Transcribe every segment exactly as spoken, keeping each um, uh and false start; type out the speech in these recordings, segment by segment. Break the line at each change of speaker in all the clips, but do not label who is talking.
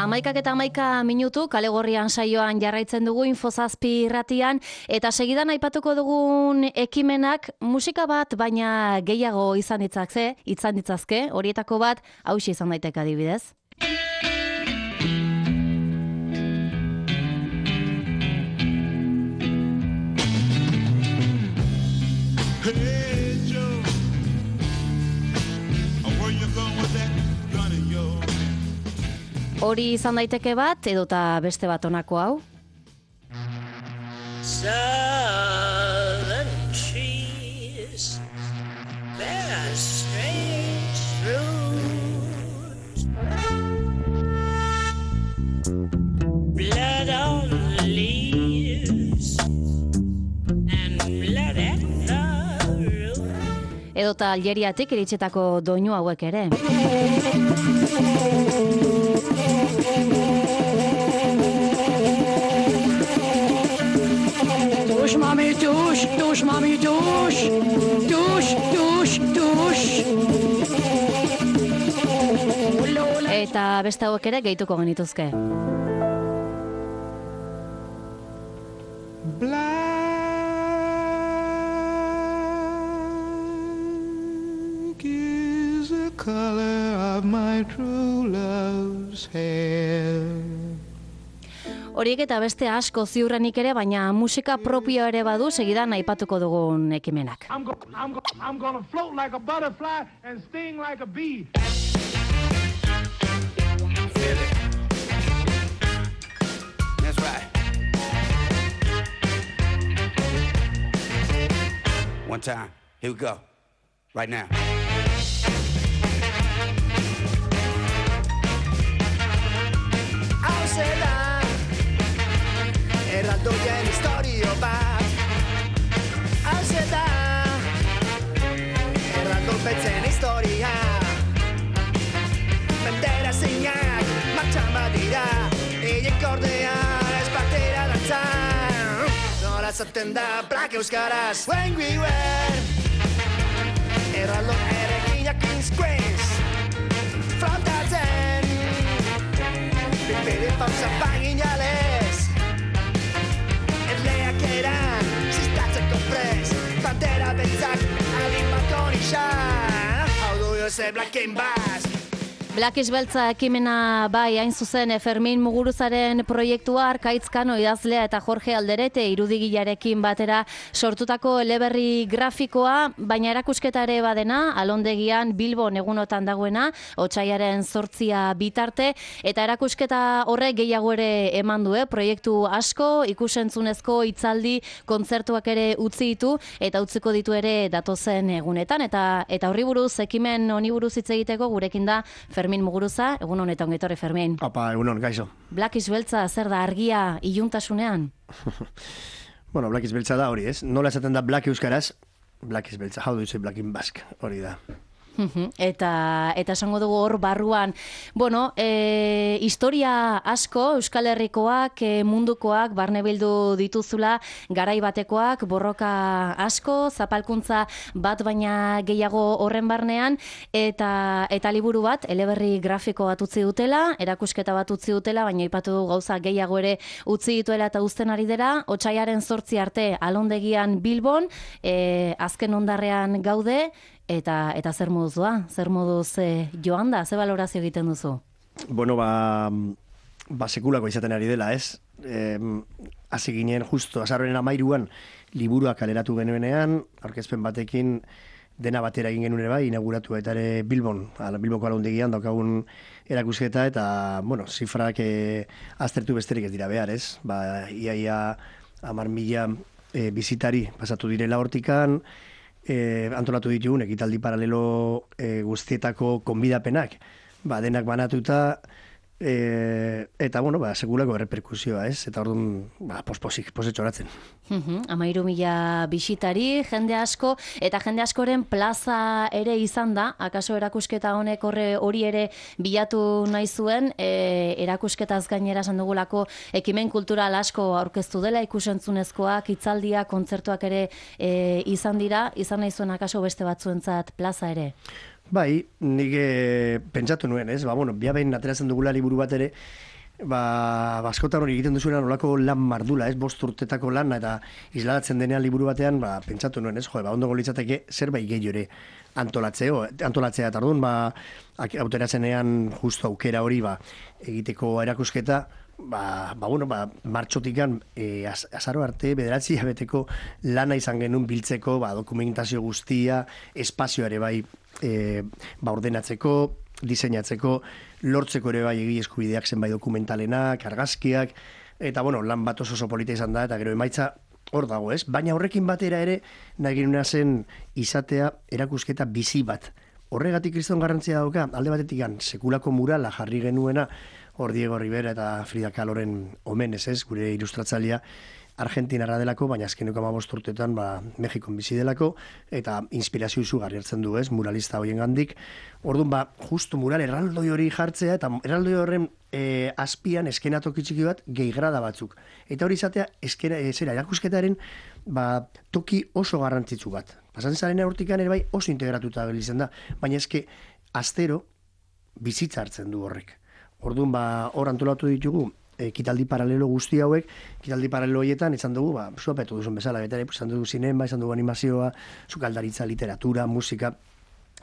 Amaikak eta amaika minutu, kale gorrian saioan jarraitzen dugu Infozazpi irratian, eta segidan aipatuko dugun ekimenak musika bat, baina gehiago izan ditzakze, izan ditzazke, horietako bat, hauxe izan daiteke adibidez. Hori izan daiteke bat, edota beste bat honako hau.
Southern trees bear strange fruit. Blood on the leaves and blood at the root.
Edota Algeriatik iritsetako doinu hauek ere.
Tush, mami, tush, tush, mami, tush, tush, tush, tush.
Eta beste hauek ere gehituko genituzke.
Black is the color of my true love's hair.
Horiek eta beste asko ziurrenik ere, baina musika propio ere badu segidan aipatuko dugun ekimenak.
I'm go, I'm go, I'm gonna float like a butterfly and sting like a bee.
Feel it. That's right. One time. Here we go. Right now.
Hau zela erraldoien historio bat. Hau zela erraldo betzen historia. Bandera zeinak martxan badira, eiek ordea ez batera dantzan. Nola zaten da Black euskaraz. When we were erraldo erekinak Queen's Queens frontatzen. Bere pausa paginales erleak eran zistatzeko prez. Bandera beltzak adin balkon isan. Hau du Jose Black and Basque.
Black is beltza ekimena bai hain zuzen Fermin Muguruzaren proiektua Arkaitzkano idazlea eta Jorge Alderete irudigilarekin batera sortutako eleberri grafikoa, baina erakusketa ere badena, Alondegian Bilbon egunotan dagoena, otsailaren zortzia bitarte, eta erakusketa horrek gehiago ere eman du, eh? Proiektu asko, ikusentzunezko hitzaldi, kontzertuak ere utzi ditu, eta utziko ditu ere datozen egunetan, eta eta horri buruz, ekimen honi buruz hitz egiteko gurekin da Fermin Muguruza, egun honetan ongetorri Fermin.
Apa, egun hon, gaixo.
Black is beltza zer da argia iluntasunean?
Bueno, Black is beltza da hori, ez? Nola esaten da Black euskaraz? Black is beltza, how do you say Black in Basque? Hori da.
Eta eta esango dugu hor barruan, bueno, e, historia asko Euskal Herrikoak, e, mundukoak barne bildu dituzula, garai batekoak, borroka asko, zapalkuntza bat baina gehiago horren barnean, eta eta liburu bat, eleberri grafiko bat utzi dutela, erakusketa bat utzi dutela, baina aipatu du gauza gehiago ere utzi dituela eta uzten ari dira, otsailaren zortzi arte Alondegian Bilbon, e, azken ondarrean gaude, Eta eta zer moduz doa? Zer moduz eh, joan da? Ze balorazio egiten duzu?
Bueno, ba, ba sekulako izaten ari dela, ez? Eh, hasi ginen justo azaroaren hamairuan liburua kaleratu genuenean, aurkezpen batekin dena batera egin genuen ere bai, inauguratu eta ere Bilbon, ala, Bilboko Alondegian daukagun erakusketa, eta, bueno, zifrak eh, aztertu besterik ez dira behar, ez? Ba, iaia hamar mila eh, bizitari pasatu direla hortikan, E, antolatu ditugun ekitaldi paralelo e, guztietako konbidapenak, ba, denak banatuta, e, eta, bueno, ba, segulako reperkusioa, ez? Eta orduan, ba, posposik, posetxoratzen.
Amairu mila bisitari, jende asko, eta jende askoren plaza ere izan da, akaso erakusketa honek horre hori ere bilatu nahi zuen, e, erakusketaz gainera esan dugulako ekimen kultural asko aurkeztu dela, ikusentzunezkoak, hitzaldiak, kontzertuak ere e, izan dira, izan nahi zuen akaso beste batzuentzat plaza ere?
Bai, nik e, pentsatu nuen, ez? Ba, bueno, biabein ateratzen dugula liburu bat ere, ba, askotan hori egiten duzuena nolako lan mardula, ez, bost urtetako lan, eta isladatzen denean liburu batean, ba, pentsatu nuen, ez, jo, ba, ondo litzateke zerbait gehiago ere antolatzeo, antolatzea, eta orduan, ba, auteratzenean justo aukera hori, ba, egiteko erakusketa, ba, ba, bueno, ba, martxotikan e, az, azaro arte, bederatzi abeteko lana izan genuen biltzeko, ba, dokumentazio guztia, espazio ere bai, e, ba, ordenatzeko, diseinatzeko, lortzeko ere bai egile eskubideak zenbait dokumentalenak, argazkiak, eta bueno, lan bat oso oso polita izan da, eta gero emaitza hor dago, ez? Baina horrekin batera ere, nahi genuna zen izatea erakusketa bizi bat. Horregatik kriston garrantzia dauka, alde batetik sekulako murala jarri genuena, hor Diego Rivera eta Frida Kahloren omenez, ez? Gure ilustratzailea Argentinarra delako, baina azkeneko hamabost urtetan ba, Mexikon bizi delako, eta inspirazio izugarri hartzen du, ez, muralista hoien gandik. Orduan, ba, justu mural erraldoi hori jartzea, eta erraldoi horren e, azpian eskenatoki txiki bat gehigrada batzuk. Eta hori izatea, eskera, zera, erakusketaren ba, toki oso garrantzitsu bat. Pasatzen zaren hortikan ere bai oso integratuta belizen da, baina eske astero bizitza hartzen du horrek. Orduan, ba, hor antolatu ditugu, ekitaldi paralelo guzti hauek, ekitaldi paralelo horietan izan dugu, ba, zuapetu duzun bezala, betare, izan dugu zinema, izan dugu animazioa, sukaldaritza, literatura, musika,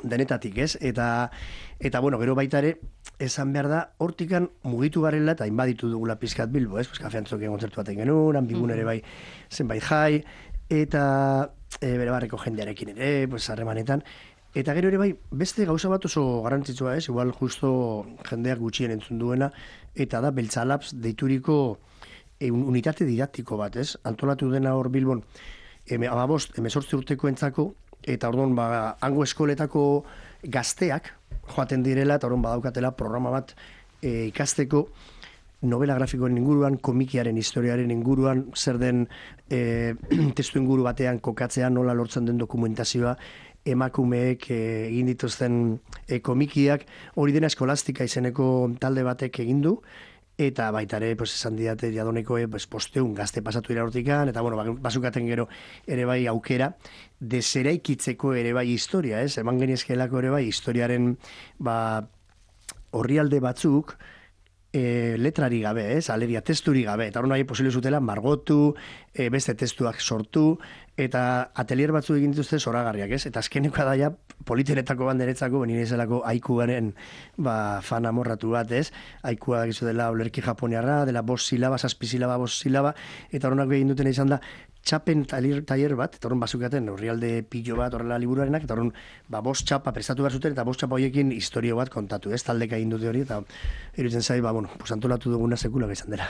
denetatik, ez? Eta, eta bueno, gero baita ere, esan behar da, hortikan mugitu garela, eta inbaditu dugula pizkat Bilbo, ez? Pues, kafean zoken kontzertu baten genuen, Anbigun ere bai zenbait jai, eta e, bere barreko jendearekin ere, pues, harremanetan, eta gero ere bai, beste gauza bat oso garrantzitsua, ez? Igual justo jendeak gutxien entzun duena, eta da Beltzalaps deituriko e, unitate didaktiko bat, ez? Antolatu dena hor Bilbon, eme, amabost, emezortzi urteko entzako, eta orduan, ba, hango eskoletako gazteak joaten direla, eta orduan badaukatela programa bat e, ikasteko, novela grafikoen inguruan, komikiaren historiaren inguruan, zer den e, testu inguru batean kokatzea, nola lortzen den dokumentazioa, emakumeek e, egin dituzten e, komikiak, hori dena eskolastika izeneko talde batek egin du, eta baita ere, pues, esan didate jadonekoe, pues, posteun gazte pasatu dira hortikan, eta bueno, basukaten gero ere bai aukera, deseraikitzeko ere bai historia, ez? Eman geniezkelako ere bai historiaren ba, orrialde batzuk, E, letrari gabe, ez, alegia testuri gabe, eta hori nahi posible zutela margotu, e, beste testuak sortu, eta atelier batzu egin dituzte zoragarriak, ez, eta azkeneko da ja politeretako banderetzako, benire zelako aikuaren ba, fan amorratu bat, ez, aikua gizu dela olerki japoniarra, dela bost silaba, zazpi silaba, bost silaba, eta horrenako egin duten izan da, txapen tailer bat, eta horren bazukaten horrialde pillo bat horrela liburuarenak, eta horren ba, bost txapa prestatu behar zuten, eta bost txapa horiekin historio bat kontatu, ez, taldeka egin dute hori, eta iruditzen zai, ba, bueno, pues, antolatu duguna sekula izan dela.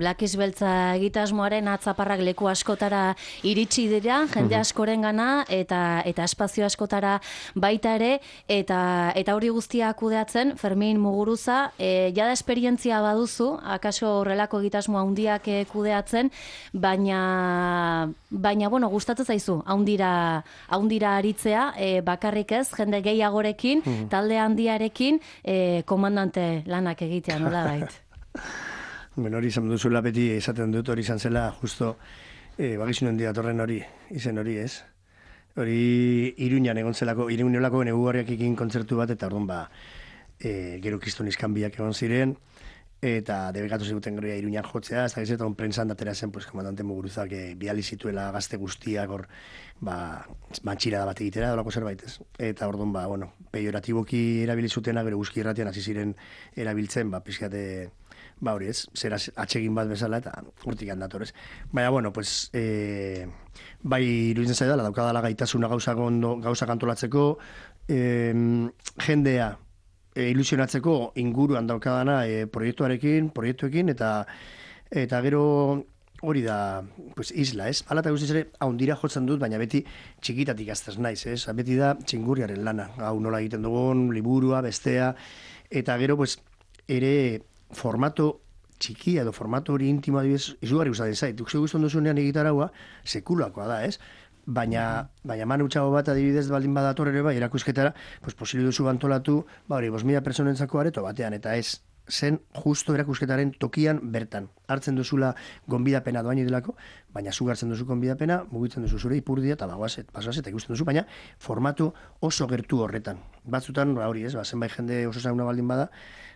Blakiz Beltza egitasmoaren atzaparrak leku askotara iritsi dira, jende askoren gana, eta, eta espazio askotara baita ere, eta, eta hori guztia kudeatzen, Fermin Muguruza, e, jada esperientzia baduzu, akaso horrelako egitasmo handiak e, kudeatzen, baina baina, bueno, gustatzen zaizu, haundira, haundira aritzea, e, bakarrik ez, jende gehiagorekin, mm. talde handiarekin, e, komandante lanak egitea, nola bait?
Bueno, hori izan duzuela beti esaten dut, hori izan zela, justo, e, bagizun handia torren hori, izen hori, ez? Hori Iruñan egon zelako, Iruñolako negugarriak ekin kontzertu bat, eta orduan, ba, e, gero kriston izkanbiak egon ziren, eta debekatu ziguten gero Iruñan jotzea, ez da gizetan prentsan datera zen, pues, komandante Muguruzak e, bidali zituela gazte guztiak hor, ba, mantxirada bat egitera, dolako zerbait ez. Eta orduan, ba, bueno, peioratiboki erabili zutena, gero guzki irratian hasi ziren erabiltzen, ba, pizkate, ba, hori ez, zera atsegin bat bezala, eta urtik handator ez. Baina, bueno, pues, e, bai iruditzen zaidala, daukadala gaitasuna gauza, gondo, gauza kantolatzeko, e, jendea, E, ilusionatzeko inguruan daukadana e, proiektuarekin, proiektuekin, eta eta gero hori da pues, isla, ez? Hala eta guztiz ere, haundira jotzen dut, baina beti txikitatik aztaz naiz, ez? Beti da txingurriaren lana, hau nola egiten dugun, liburua, bestea, eta gero, pues, ere formato txikia edo formato hori intimo adibidez, izugarri gustatzen zait. Duk ze guztan duzunean egitaraua, sekulakoa da, ez? Baina, baina manu txago bat adibidez baldin badator ere bai, erakusketara, pues posible duzu antolatu, ba hori, bost mila personentzako areto batean, eta ez zen justo erakusketaren tokian bertan. Hartzen duzula gonbidapena doaini delako, baina zu hartzen duzu gonbidapena, mugitzen duzu zure ipurdia, eta bagoazet, pasoazet, ikusten duzu, baina formatu oso gertu horretan. Batzutan, ba hori ez, ba, zenbait jende oso zauna baldin bada,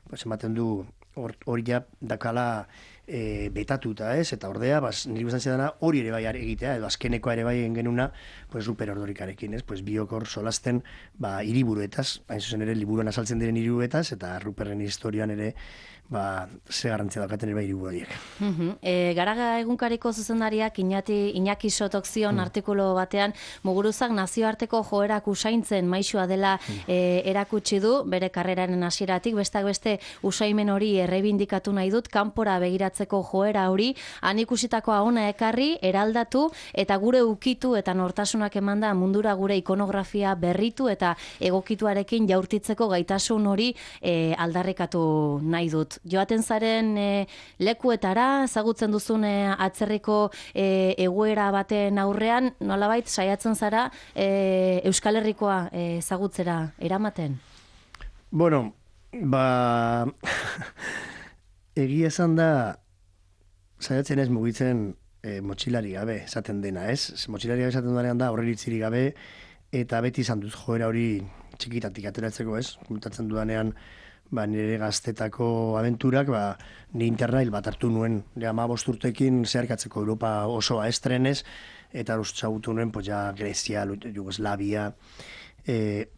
pues ematen du hori ja dakala e, betatuta, ez? Eta ordea, bas, niri guztan zidana hori ere bai egitea, edo azkenekoa ere bai genuna, pues Ruper Ordorikarekin, ez? Pues biok hor solasten, ba, hiriburuetaz, hain zuzen ere liburuan azaltzen diren hiriburuetaz, eta Ruperren historian ere, ba, ze garrantzia daukaten ere bai hiriburu horiek.
Uh -huh. e, Garaga egunkariko zuzendariak Iñati, Iñaki Sotok zion mm. artikulu batean, Muguruzak nazioarteko joerak usaintzen maisua dela mm. e, erakutsi du, bere karreraren hasieratik, bestak beste usaimen hori errebindikatu nahi dut, kanpora begiratzeko joera hori, han ikusitakoa ona ekarri, eraldatu, eta gure ukitu eta nortasunak emanda mundura gure ikonografia berritu eta egokituarekin jaurtitzeko gaitasun hori e, aldarrikatu nahi dut. Joaten zaren e, lekuetara, ezagutzen duzun e, atzerriko e, egoera baten aurrean, nolabait saiatzen zara e, Euskal Herrikoa e, ezagutzera eramaten?
Bueno, ba... egia esan da, saiatzen ez mugitzen e, motxilari gabe, esaten dena, ez? Motxilari gabe esaten duanean da, horreritziri gabe, eta beti izan dut joera hori txikitatik ateratzeko, ez? Komentatzen dudanean, ba, nire gaztetako abenturak, ba, ni internail bat hartu nuen, ja, ma bosturtekin zeharkatzeko Europa osoa estrenez, eta usagutu nuen, pues, ja, Grezia, Jugoslavia, eh,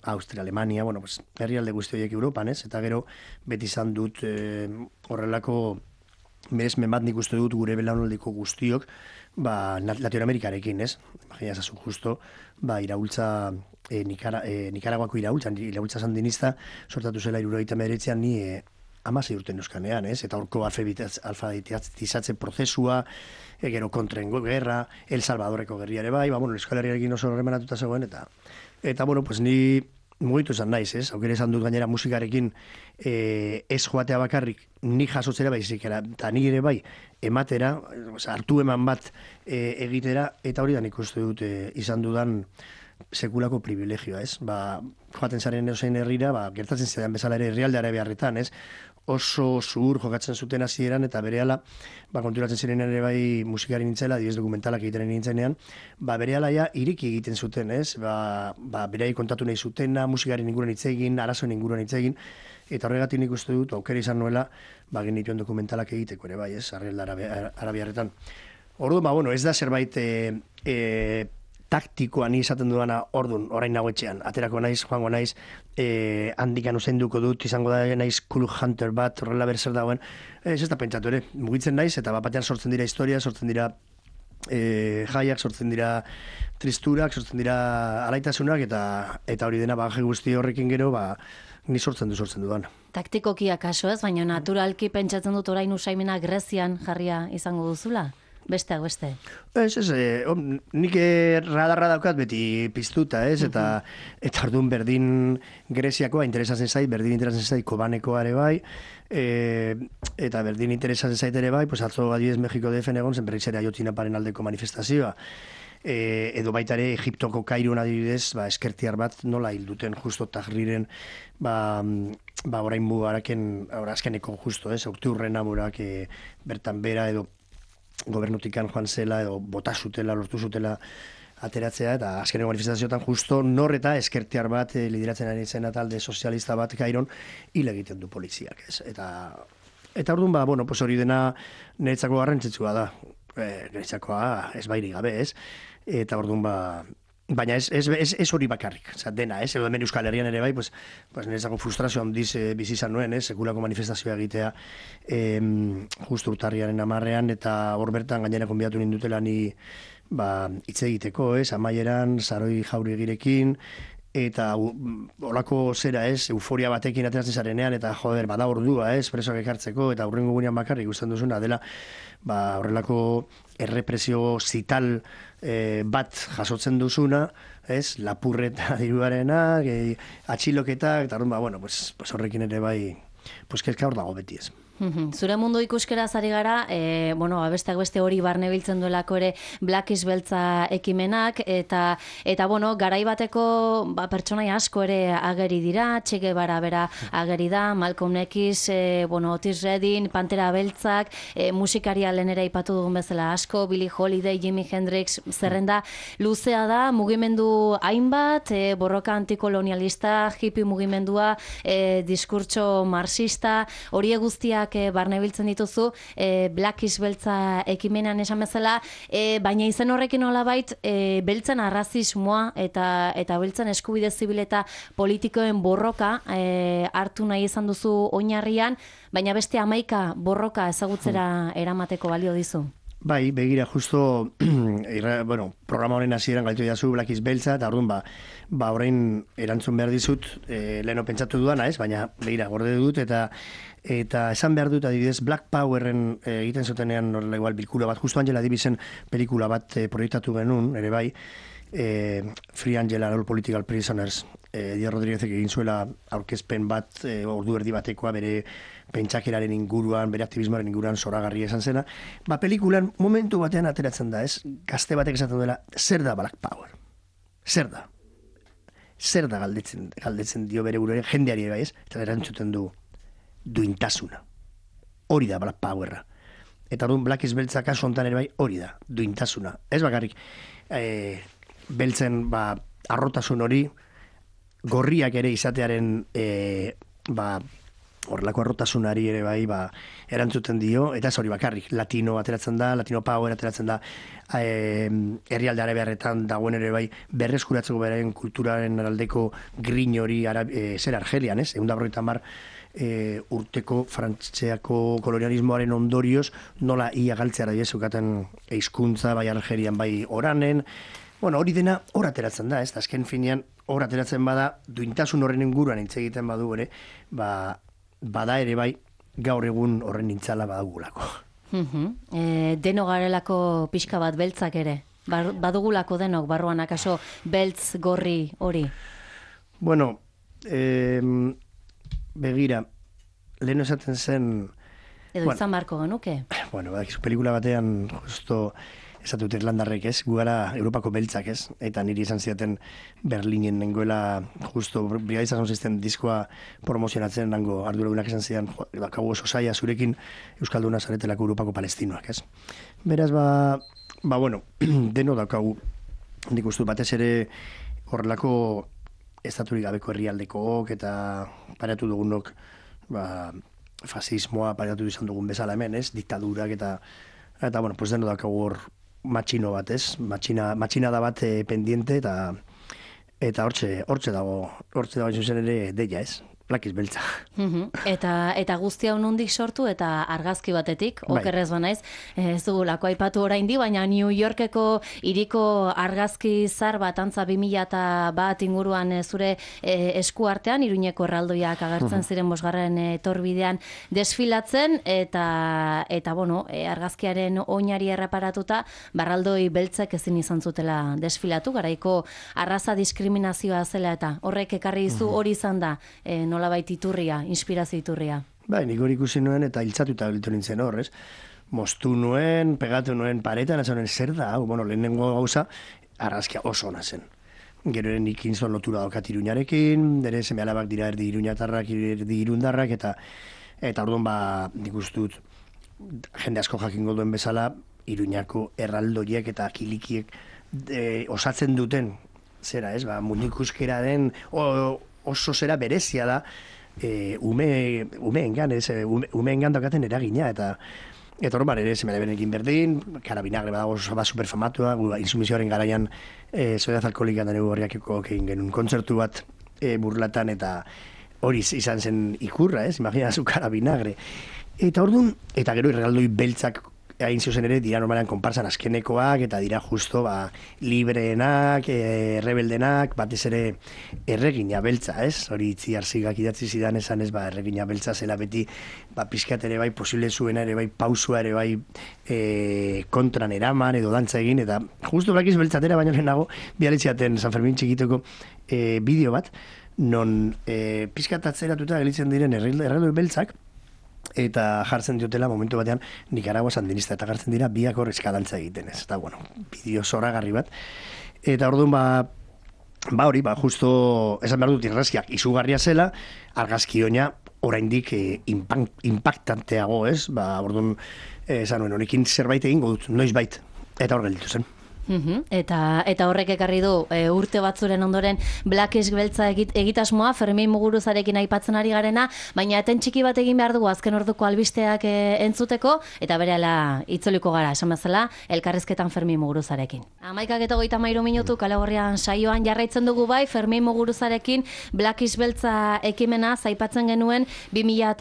Austria, Alemania, bueno, pues, herrialde guzti horiek Europan, ez? Eta gero, beti izan dut eh, horrelako merezmen bat nik uste dut gure belaunaldiko guztiok, ba, Latinoamerikarekin, ez? Imagina zazu justo, ba, iraultza, e, Nikara, e, Nikaraguako iraultza, iraultza sandinista, sortatu zela hirurogeita hemeretzian ni e, hamasei urte euskanean, ez? Eta horko alfabetizatze prozesua, e, gero kontrengo gerra, El Salvadoreko gerriare bai, ba, bueno, Euskal Herriarekin oso remenatuta zegoen, eta, eta bueno, pues ni mugitu esan naiz, ez? Aukera esan dut gainera musikarekin e, ez joatea bakarrik, ni jasotzera baizik, eta ni ere bai, ematera, hartu eman bat e, egitera, eta hori da nik uste dut e, izan dudan sekulako privilegioa, ez? Ba, joaten zaren edozein herrira, ba, gertatzen zidan bezala ere herrialdeare beharretan, ez? Oso zuhur jokatzen zuten hasieran eta berehala, ba, konturatzen ziren ere bai musikari nintzela, diez dokumentalak egiten nintzenean, ba, berehala ja iriki egiten zuten, ez? Ba, ba, bereai kontatu nahi zutena, musikaren inguruan hitz egin, arazoen inguruan hitz egin, eta horregatik nik uste dut, aukera izan nuela, ba, genituen dokumentalak egiteko ere bai, ez? Herrialde arabiarretan. Orduan, ba, bueno, ez da zerbait e, e, taktikoa ni izaten dudana ordun orain nago etxean. Aterako naiz, joango naiz, eh, handikan usainduko dut, izango da naiz cool hunter bat, horrela berzer dagoen. Ez ez da pentsatu ere, mugitzen naiz, eta batean sortzen dira historia, sortzen dira eh, jaiak, sortzen dira tristurak, sortzen dira alaitasunak, eta eta hori dena baje guzti horrekin gero, ba, ni sortzen du sortzen dudan.
Taktikoki akaso ez, baina naturalki pentsatzen dut orain usaimena Grezian jarria izango duzula? Besteak beste.
Ez, ez, eh, om, nik radarra daukat beti piztuta, ez, eta uh-huh. eta orduan berdin Greziakoa interesatzen zait, berdin interesatzen zait Kobanekoa ere bai, e, eta berdin interesatzen zait ere bai, pues atzo adibidez Mexiko D F-en egon zen berriz ere Ayotzinaparen aldeko manifestazioa. E, edo baita ere Egiptoko Kairon adibidez, ba, eskertiar bat nola hilduten justo Tahriren, ba, ba orain mugaraken, azkeneko justo, ez, okturrena murak e, bertan bera edo gobernutikan joan zela edo bota zutela, lortu zutela ateratzea, eta azkeneko manifestazioetan justo nor eta eskertiar bat e, lideratzen ari zena talde sozialista bat Kairon hil egiten du poliziak, ez? Eta eta orduan ba, bueno, pues hori dena niretzako garrantzitsua da. E, niretzakoa ez bairi gabe, ez? Eta orduan ba baina ez, ez, ez, ez hori bakarrik, oza, dena, ez? Edo hemen Euskal Herrian ere bai, pues, pues niretzako frustrazio handiz e, bizi izan nuen, ez? Sekulako manifestazioa egitea em, justu urtarriaren amarrean, eta hor bertan gainera konbiatu nindutela ni ba, hitz egiteko, ez? Amaieran, Saroi Jaurigirekin, eta olako zera, ez? Euforia batekin ateratzen zarenean, eta joder, bada ordua, ez? Presoak ekartzeko, eta hurrengo gunean bakarrik ikusten duzuna dela, ba, horrelako errepresio zital e, bat jasotzen duzuna, ez? Lapurreta diruarena, e, atxiloketak, eta ba, bueno, pues, pues horrekin ere bai, pues kezka hor dago beti, ez.
Zure mundu ikuskeraz ari gara, e, bueno, besteak beste hori barne biltzen duelako ere Black is Beltza ekimenak, eta, eta bueno, garai bateko ba, pertsonai asko ere ageri dira, Che Guevara bera ageri da, Malcolm X, e, bueno, Otis Redding, Pantera Beltzak, e, musikaria lehen ere aipatu dugun bezala asko, Billie Holiday, Jimi Hendrix, zerrenda luzea da, mugimendu hainbat, e, borroka antikolonialista, hippie mugimendua, e, diskurtso marxista, hori guztiak e, barne biltzen dituzu, e, Black is Beltza ekimenean esan bezala, e, baina izen horrekin nolabait e, beltzen arrazismoa eta eta beltzen eskubide zibil eta politikoen borroka e, hartu nahi izan duzu oinarrian, baina beste hamaika borroka ezagutzera eramateko balio dizu.
Bai, begira, justo, irra, bueno, programa horren hasieran gaitu jazu Black is Beltza, eta orduan, ba, ba orain erantzun behar dizut, e, leheno pentsatu duana, ez? Baina, begira, gorde dut, eta eta esan behar dut, adibidez, Black Powerren e, egiten zutenean, horrela igual, bilkura bat, justo Angela Davisen pelikula bat e, proiektatu genuen, ere bai, e, Free Angela, All Political Prisoners, e, Diego Rodríguezek egin zuela aurkezpen bat, e, ordu erdi batekoa, bere pentsakeraren inguruan, bere aktivismoaren inguruan zoragarria esan zena, ba, pelikulan momentu batean ateratzen da, ez? Gazte batek esaten duela, zer da Black Power? Zer da? Zer da galdetzen, galdetzen dio bere buruaren jendeari bai, ez? Eta erantzuten du duintasuna. Hori da Black Powerra. Eta orduan Black is Beltza kasu hontan ere bai, hori da, duintasuna. Ez bakarrik, e, beltzen ba, arrotasun hori, gorriak ere izatearen e, ba, horrelako arrotasunari ere bai, ba, erantzuten dio, eta ez hori bakarrik, latino ateratzen da, latino power ateratzen da, e, herrialde arabiarretan dagoen ere bai, berreskuratzeko beraien kulturaren aldeko grin hori e, zer Argelian, ez? Egun da berrogeita hamar e, urteko frantseako kolonialismoaren ondorioz, nola ia galtzea da zukaten hizkuntza bai Argelian bai oranen, bueno, hori dena hor ateratzen da, ez? Azken finean, hor ateratzen bada, duintasun horren inguruan hitz egiten badu ere, ba, bada ere bai, gaur egun horren nintzala badugulako.
Uh-huh. E, deno garelako pixka bat beltzak ere, Bar, badugulako denok, barruan akaso beltz gorri hori?
Bueno, eh, begira, lehen esaten zen...
Edo bueno, izan barko genuke?
Bueno, badakizu pelikula batean justo esatut irlandarrek, ez? Gu gara Europako beltzak, ez? Eta niri izan zidaten Berlinen nengoela justo Brigadiza Sound diskoa promozionatzen nango arduradunak esan zidan, bakagu oso saia zurekin Euskalduna zaretelako Europako palestinoak, ez? Beraz, ba, ba bueno, deno daukagu, nik uste batez ere horrelako estaturik gabeko herrialdekook eta paratu dugunok, ba, fasismoa paratu izan dugun bezala hemen, ez? Diktadurak eta, eta bueno, pues deno daukagu hor matxino bat, ez? Matxina, matxina da bat e, pendiente eta eta hortxe, hortxe dago, hortxe dago zuzen ere deia, ez? Black is Beltza.
Uh-huh. Eta eta guztia nondik sortu eta argazki batetik,
bai.
Okerrez banaiz, ez dugulako aipatu oraindi, baina New Yorkeko hiriko argazki zar bat antza bi mila bat inguruan e, zure e, eskuartean, Iruñeko erraldoiak agertzen uh-huh. ziren bosgarren etorbidean desfilatzen, eta eta bueno, e, argazkiaren oinari erreparatuta, barraldoi beltzek ezin izan zutela desfilatu, garaiko arraza diskriminazioa zela eta horrek ekarri dizu hori izan da, e, nolabait iturria, inspirazio iturria.
Bai, nik hori ikusi nuen eta hiltzatuta biltu nintzen horrez. Moztu nuen, pegatu nuen paretan, ez honen zer da, bueno, lehenengo gauza, argazkia oso ona zen. Gero eren ikin zon lotura daukat Iruñarekin, dere seme alabak dira erdi iruñatarrak, erdi irundarrak, eta eta orduan ba, nik ustut, jende asko jakingo duen bezala, Iruñako erraldoiek eta kilikiek e, osatzen duten, zera ez, ba, munikuskera den, o, oso zera berezia da, e, ume, umeengan, ez, ume, umeengan daukaten eragina, eta eta horban ere, zemele benekin berdin, karabinagre badago oso ba superfamatua, gu, insumizioaren garaian, e, soedaz alkoholikan dene horriakeko egin genuen kontzertu bat e, burlatan, eta hori izan zen ikurra, ez, imagina zu karabinagre. Eta orduan, eta gero errealdoi beltzak hain zuzen ere, dira normalean konparsan azkenekoak, eta dira justo ba, libreenak, e, rebeldenak, batez ere erregina beltza, ez? Hori itzi arzigak idatzi zidan esan ez, ba, erregina beltza zela beti, ba, pizkat ere bai, posible zuena ere bai, pausua ere bai, e, kontran eraman edo dantza egin, eta justo blakiz beltzatera baino lehenago, bialitziaten San Fermin txikitoko e, bideo bat, non e, pizkat atzeratuta gelitzen diren erreldoi beltzak, eta jartzen diotela momentu batean Nicaragua sandinista eta jartzen dira biak hor eskadantza egiten, ez? Eta bueno, bideo zoragarri bat. Eta orduan ba ba hori, ba justo esan behar dut irrazkiak izugarria zela, argazki oina oraindik eh, impactanteago, ez? Ba orduan eh, esan nuen honekin zerbait egingo dut, noizbait. Eta hor gelditu zen.
Uhum. Eta eta horrek ekarri du e, urte batzuren ondoren Blackish beltza egit, egitasmoa Fermin Muguruzarekin aipatzen ari garena, baina eten txiki bat egin behar dugu azken orduko albisteak e, entzuteko, eta berehala itzuliko gara, esan bezala, elkarrizketan Fermin Muguruzarekin. Hamaikak eta hogeita hamairu minutu Kale Gorrian saioan jarraitzen dugu bai, Fermin Muguruzarekin Blackish beltza ekimena aipatzen genuen bi mila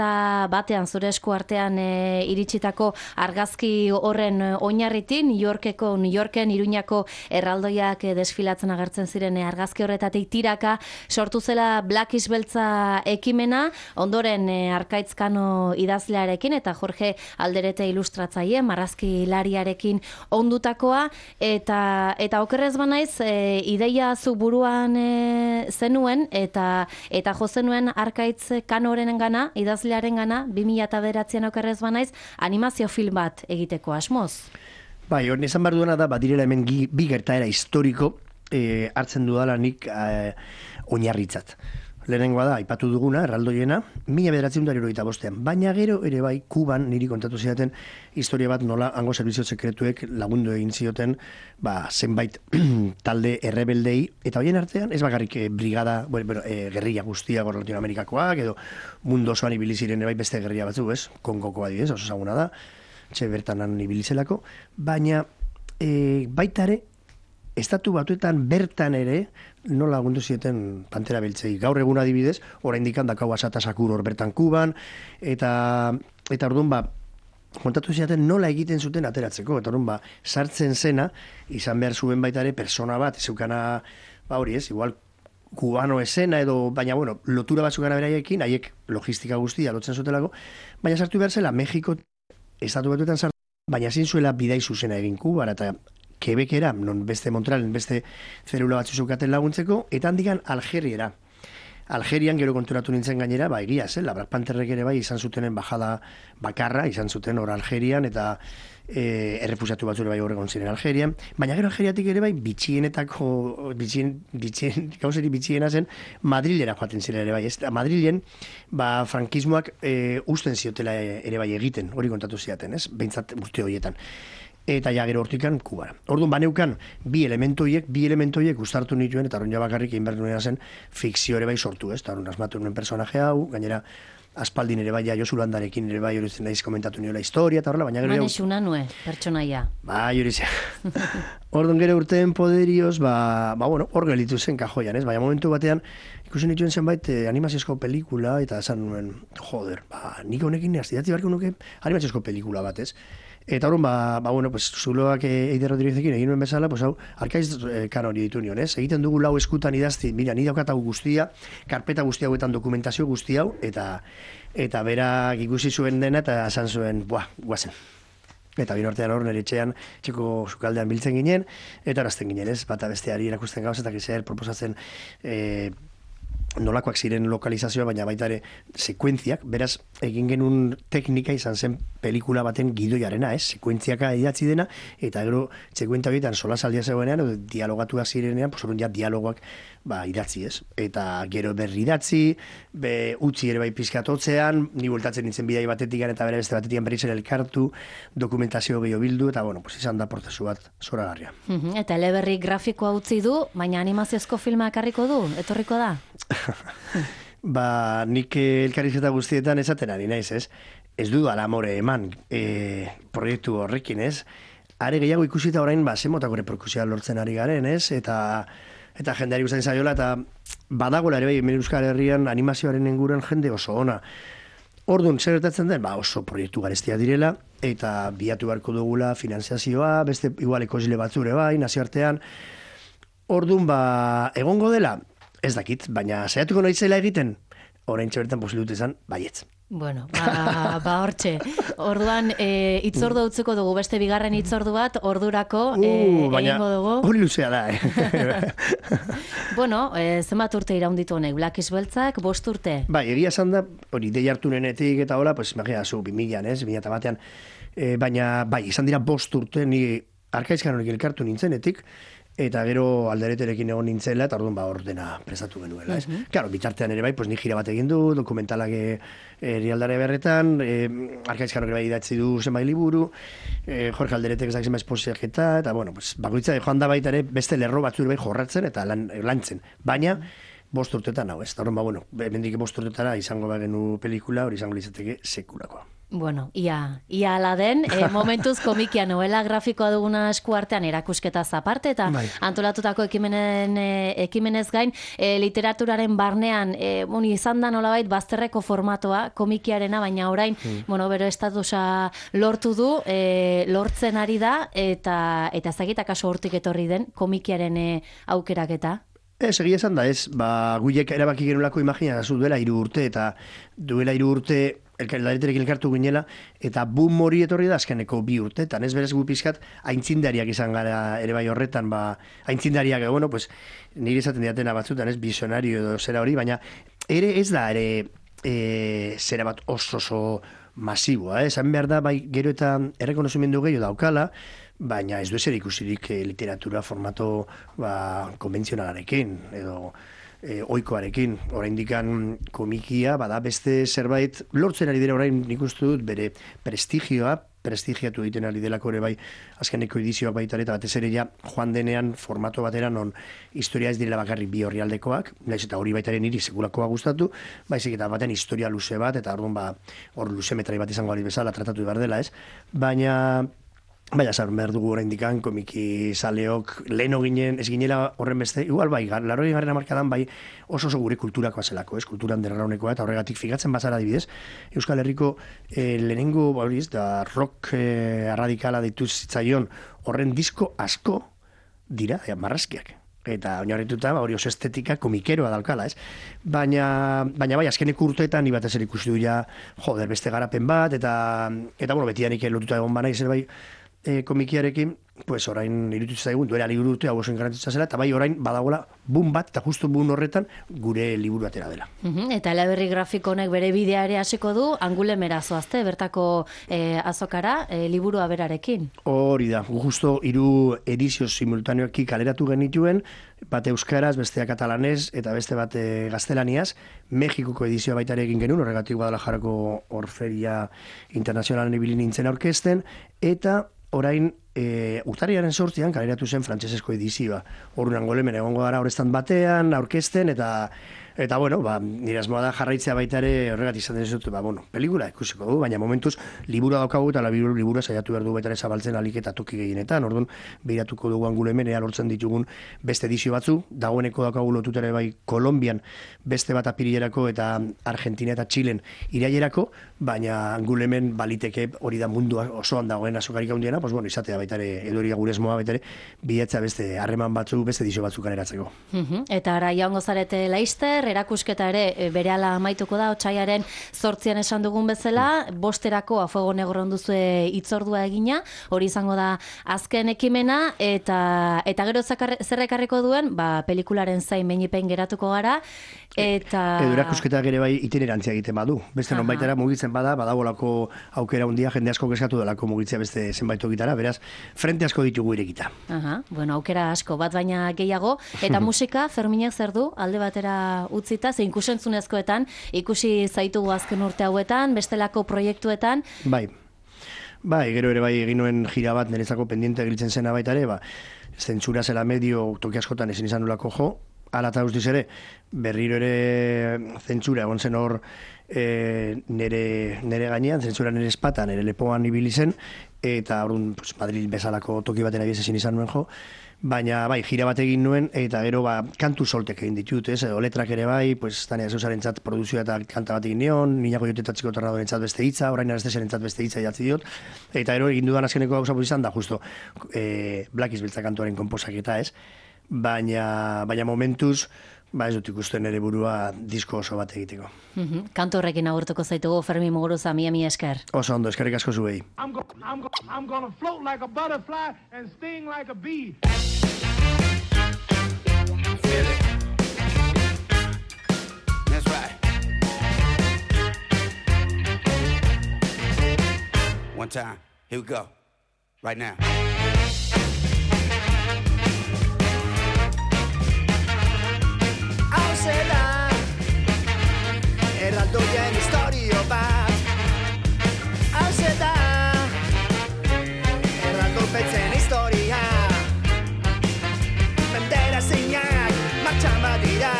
batean zure esku artean e, iritsitako argazki horren oinarritin, New Yorkeko, New Yorken, Iruña erraldoiak desfilatzen agertzen ziren argazki horretatik tiraka sortu zela Blackish beltza ekimena, ondoren Arkaitzkano idazlearekin eta Jorge Alderete ilustratzaile, marrazkilariarekin ondutakoa, eta eta okerrez banaiz e, ideia zu buruan e, zenuen eta eta jo zenuen Arkaitzkanorenengana, idazlearengana bi mila bederatzian okerrez banaiz animazio film bat egiteko asmoz.
Bai, hori esan behar duena da, badirela hemen gi, bi gertaera historiko e, hartzen dudala nik e, oinarritzat. Lehenengoa da, aipatu duguna, erraldoiena, mila bederatzen da hirurogeita bostean. Baina gero ere bai, Kuban niri kontatu zidaten historia bat nola hango zerbizio sekretuek lagundu egin zioten ba, zenbait talde errebeldei, eta horien artean, ez bakarrik e, brigada, bueno, bueno, e, gerrilla guztia gor Latinoamerikakoak, edo mundu osoan ibili ziren bai beste gerrilla batzu, ez? Kongoko adibidez, oso ezaguna da. Txe bertanan ibilizelako, baina e, baita ere, estatu batuetan bertan ere, nola lagundu zieten Pantera beltzei. Gaur egun adibidez, oraindik handakau Asata Sakur hor bertan Kuban, eta eta orduan ba, kontatu ziaten nola egiten zuten ateratzeko, eta orduan ba, sartzen zena, izan behar zuen baita ere, persona bat, zeukana, ba hori ez, igual, kubano esena edo, baina bueno, lotura bat zukana beraiekin, haiek logistika guztia lotzen zutelako, baina sartu behar zela Mexiko estatu batuetan sartu, baina ezin zuela bidai zuzena egin Kubara, eta Quebecera, non beste Montrealen, beste zelula batzu zeukaten laguntzeko, eta handikan Algeriera. Algerian gero konturatu nintzen gainera, ba, egia zela, Black Pantherrek ere bai izan zutenen bajada bakarra, izan zuten hor Algerian, eta e, errefusiatu batzure bai horregon ziren Algerian, baina gero Algeriatik ere bai bitxienetako, bitxien, bitxien, gauzeri bitxiena zen, Madrilera joaten ziren ere bai, ez, Madrilen, ba, frankismoak e, usten ziotela ere bai egiten, hori kontatu ziaten, ez, behintzat urte horietan. Eta ja gero hortikan Kubara. Orduan baneukan bi elementoiek, bi elementoiek uztartu nituen, eta orduan ja bakarrik egin behar nuena zen fikzio ere bai sortu, ez? Eta orduan asmatu nuen personaje hau, gainera aspaldin ere bai, ja Josu Landarekin ere bai, hori zen naiz komentatu niola historia, eta horrela, baina gero...
Mane xuna nue, pertsonaia.
Bai, hori zen. Orduan gero urteen poderioz, ba, ba bueno, hor gelitu zen kajoian, ez? Baina momentu batean, ikusi nituen zenbait eh, animaziozko pelikula, eta esan nuen, joder, ba, nik honekin astidatzi barko nuke animaziozko pelikula bat, ez? Eta horren, ba, ba, bueno, pues, zuloak Eider Rodriguezekin egin nuen bezala, pues, hau, Arkaiz eh, kanori ditu nion, ez? Egiten dugu lau eskutan idazti, mira, ni daukat hau guztia, karpeta guzti hauetan dokumentazio guzti hau, eta eta berak ikusi zuen dena, eta esan zuen, buah, guazen. Eta bin ortean hor, nire etxean, txeko sukaldean biltzen ginen, eta horazten ginen, ez? Bata besteari erakusten gauz, eta gizer, proposatzen, eh, nolakoak ziren lokalizazioa, baina baita ere sekuentziak, beraz, egin genuen teknika izan zen pelikula baten gidoiarena, ez? Sekuentziaka idatzi dena, eta gero sekuentzia horietan solasaldia zegoenean, edo dialogatuak zirenean, pues, ja dialogoak ba, idatzi, ez? Eta gero berri idatzi, be, utzi ere bai pizkatotzean, ni bueltatzen nintzen bidai batetik eta bere beste batetik berriz ere elkartu, dokumentazio gehiago bildu, eta bueno, pues, izan da prozesu bat zoragarria.
Uh-huh. Eta eleberri grafikoa utzi du, baina animaziozko filma ekarriko du, etorriko da?
Ba, nik elkarrizketa guztietan esaten ari naiz, ez? Ez du alamore eman e, proiektu horrekin, ez? Are gehiago ikusita orain, ba, zemotako reperkusioa lortzen ari garen, ez? Eta eta jendeari gustatzen zaiola, eta badagoela ere bai, hemen Euskal Herrian animazioaren inguruan jende oso ona. Orduan, zer gertatzen den? Ba, oso proiektu garestia direla, eta biatu beharko dugula finanziazioa, beste igual ekosile batzure bai, nazioartean. Orduan, ba, egongo dela, ez dakit, baina saiatuko naizela egiten, orain txabertan posibilitu izan, baietz.
Bueno, ba, ba hortxe. Orduan, e, itzordu utziko dugu, beste bigarren itzordu bat, ordurako e,
uh, baina,
egingo dugu.
Hori luzea da, eh?
Bueno, e, zenbat urte iraunditu honek, Blakiz Beltzak, bost urte?
Bai, egia esan da, hori, dei hartu nenetik eta hola, pues, imagina, zu, bimilan, ez, bimila eta batean, e, baina, bai, izan dira bost urte, ni Arkaizkan horik elkartu nintzenetik, eta gero aldereterekin egon nintzela, eta orduan ba ordena prestatu genuela, ez? Uh-huh. Claro, bitartean ere bai, pues ni gira bat egin du, dokumentalak herrialdare berretan, eh, Arkaizkan ere bai idatzi du zenbait liburu, eh, Jorge Alderetek ezak zenbait esposiaketa, eta bueno, pues bakoitza joan da baita ere beste lerro batzure bai jorratzen eta lan, lantzen. Baina, bost urtetan hau, ez? Eta orduan ba, bueno, hemendik bost urtetara izango bagenu pelikula, hori izango litzateke sekulakoa.
Bueno, ia, ia ala den, e, momentuz komikia novela grafikoa duguna eskuartean erakusketa zaparte, eta bai. Antolatutako ekimenen, e, ekimenez gain, e, literaturaren barnean, e, bon, izan da nolabait bazterreko formatoa, komikiarena, baina orain, mm. bueno, bero estatusa lortu du, e, lortzen ari da, eta eta zagitak kaso hortik etorri den, komikiaren e, aukeraketa.
Ez, egia esan da, ez, ba, guiek erabaki genulako imagina, zu duela hiru urte, eta duela hiru urte, elkarlareterekin elkartu ginela, eta boom hori etorri da azkeneko bi urtetan, ez berez gu pizkat aintzindariak izan gara ere bai horretan, ba, aintzindariak, bueno, pues, nire izaten diatena batzutan, ez, visionario edo zera hori, baina ere ez da, ere, e, zera bat oso oso masiboa, eh? Esan behar da, bai, gero eta errekonozimendu gehiago daukala, baina ez du ezer ikusirik eh, literatura formato ba, konbentzionalarekin, edo E, oikoarekin, oraindikan komikia, bada beste zerbait, lortzen ari dira orain nik uste dut bere prestigioa, prestigiatu egiten ari delako ere bai azkeneko edizioak baita eta batez ere ja joan denean formato batera non historia ez direla bakarrik bi orrialdekoak, naiz eta hori baitaren niri sekulakoa gustatu, baizik eta baten historia luze bat, eta orduan ba, hor luze metrai bat izango ari bezala tratatu behar dela, ez? Baina Baina, zar, behar dugu orain dikan, komiki zaleok, leheno ginen, ez ginela horren beste, igual bai, larroi garren amarkadan bai oso oso gure kulturakoa zelako, ez, kulturan derraunekoa, eta horregatik figatzen bazara adibidez, Euskal Herriko eh, lehenengo, hori ez, da rock eh, radikala deitu zitzaion horren disko asko dira, ja, marrazkiak. Eta oinarrituta hori oso estetika komikeroa daukala, ez? Baina, baina bai, azkeneko urteetan, ni batez ere ikusi du ja, joder, beste garapen bat, eta, eta bueno, betidanik lotuta egon bana izan bai, E, komikiarekin, pues orain iruditu zaigun, duela liburu urte, hau oso garrantzitsua zela, eta bai orain badagoela boom bat, eta justu boom horretan gure liburu atera dela.
Uhum, eta eleberri grafiko honek bere bidea ere hasiko du, Angulemera zoazte, bertako e, azokara, e, liburua berarekin. Hori
da, justo hiru edizio simultaneoki kaleratu genituen, bate euskaraz, bestea katalanez, eta beste bat e, gaztelaniaz, Mexikoko edizioa baita ere egin genuen, horregatik Guadalajarako Orferia Internazionalen ibili nintzen aurkezten, eta orain, e, urtarriaren sortzian kaleratu zen frantsesezko edizioa. Orduan Angolemen egongo gara horreztan batean, aurkezten, eta eta bueno, ba, nire asmoa da jarraitzea baita ere horregatik izan dut, ba, bueno, pelikula ikusiko du, baina momentuz libura daukagu eta liburu libura saiatu behar du baita ere zabaltzen alik eta toki gehienetan. Orduan, behiratuko dugu Angolemen ea lortzen ditugun beste edizio batzu, dagoeneko daukagu lotuta ere bai Kolonbian beste bat apirilerako eta Argentina eta Txilen irailerako, baina Angolemen baliteke hori da mundu osoan dagoen azokarik handiena, pues bueno, izatea baita ere, edo hori gure asmoa baita ere, bilatzea beste harreman batzu, beste edizio batzuk kaleratzeko.
Uh-huh. Eta ara jaungo zarete Laister, erakusketa ere berehala amaituko da, otsailaren zortzian esan dugun bezala, bosterako A Fuego Negro onduzue hitzordua egina, hori izango da azken ekimena, eta eta gero zer ekarriko duen, ba, pelikularen zain beinipen geratuko gara, eta...
Edo erakusketak ere bai itinerantzia egiten badu, beste non baitara mugitzen bada, badabolako aukera hundia, jende asko kezkatu delako mugitzea beste zenbait tokitara, beraz, frente asko ditugu irekita.
Aha, bueno, aukera asko, bat baina gehiago, eta musika, Ferminek zer du, alde batera utzita, ze ikusentzunezkoetan, ikusi zaitugu azken urte hauetan, bestelako proiektuetan.
Bai, bai, gero ere bai egin nuen gira bat, nerezako pendiente giltzen zena baita ere, ba, zentsura zela medio toki askotan ezin izan nolako jo, ala eta guztiz ere, berriro ere zentsura egon zen hor e, nere, nere gainean, zentsura nere espatan, nere lepoan ibili zen, eta orduan pues, Madrid bezalako toki baten abiez ezin izan nuen jo, baina bai, gira bat egin nuen, eta gero ba, kantu soltek egin ditut, ez, edo letrak ere bai, pues, Tania Zeusaren txat produzioa eta kanta bat egin nion, Niñako Jotetatxiko Tornadoren txat beste hitza, orain Arestesaren txat beste hitza jatzi diot, eta gero egin dudan azkeneko gauza izan da, justo, e, Blakiz Beltza kantuaren konposaketa, ez, baina, baina momentuz, ba ez dut ikusten ere burua disko oso bat egiteko.
Mhm. Kantu horrekin agurtuko zaitugu Fermi Muguruza, mila mila esker.
Oso ondo, eskerrik asko zuei.
I'm, go- I'm, go- I'm gonna float like a butterfly and sting like a bee.
Feel it. That's right. One time. Here we go. Right now.
Hauze da erraldoien historio bat. Hauze da erraldopetzen historia. Bandera zeinak martxan badira,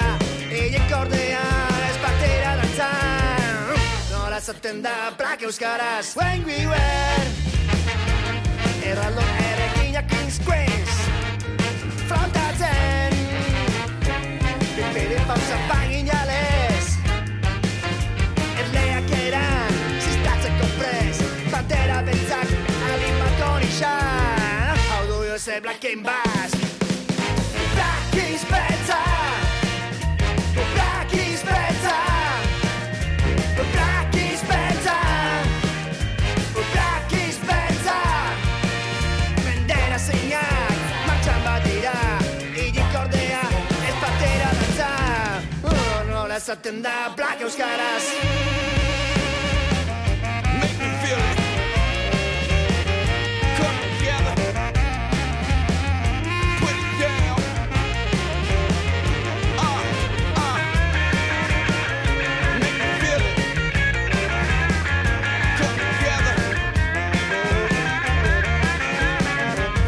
eiek ordea ez batera dantzan. Nola zaten da plak euskaraz, when we were erraldo errekinak insquens frontatzen. Bipede pausa paginales erleak eran ziztatzeko prez bandera beltzak alimakon izan. Hau du Jose Black and Basque. Black is better. Black is better. Black is better. Black is better. Bandera zeinak martxan badira, hilik ordea ez batera dantza. Oh, nola esaten da Black euskaraz.
Make me feel it. Come together. Put it down. Uh, uh. Make me feel it. Come together.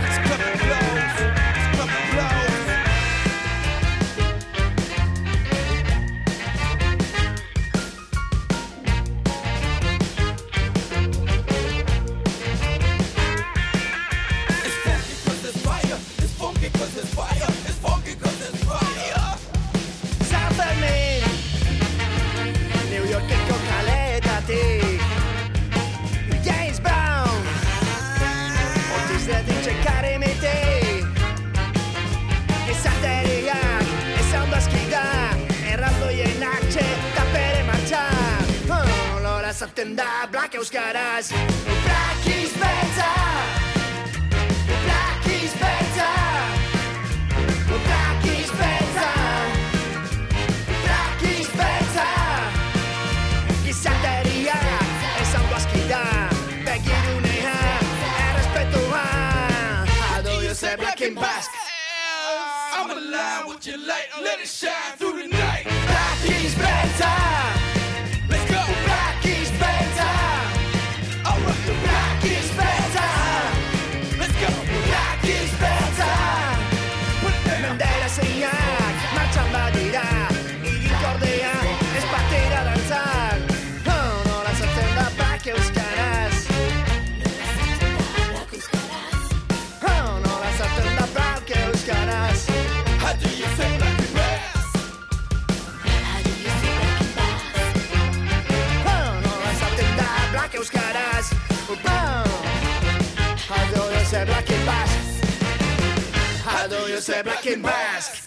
It's coming close. It's coming close. It's funky 'cause it's fire. It's funky 'cause it's fire. It's funky 'cause it's fire.
San Fermin, New Yorkeko kaletatik James Brown, Otis Redding txekaremete. Gizateriak ez ondo aski da, erraldoien atxe eta bere martxa. Oh, Lola zaten da Black euskaraz. Black is better. Black is better. Black is better. Black is better. Gizateriak ez ondo aski da, begirunea errespetua. Ado Jose Black and Basque.
I'm alive with your light. Let it shine through the night.
Black is better.
Let's go.
Black is better.
All right.
Black is better.
Let's go.
Black is better.
Put it down.
Bandera zeinak martxan badira, hilik ordea ez batera dantzan. Oh, nola zaten da Black euskaraz. Oh, nola zaten da Black euskaraz.
How do you say black and bass?
Oh, nola zaten da Black euskaraz. Oh, how do you say Black and Basque? How do you say Black and Basque?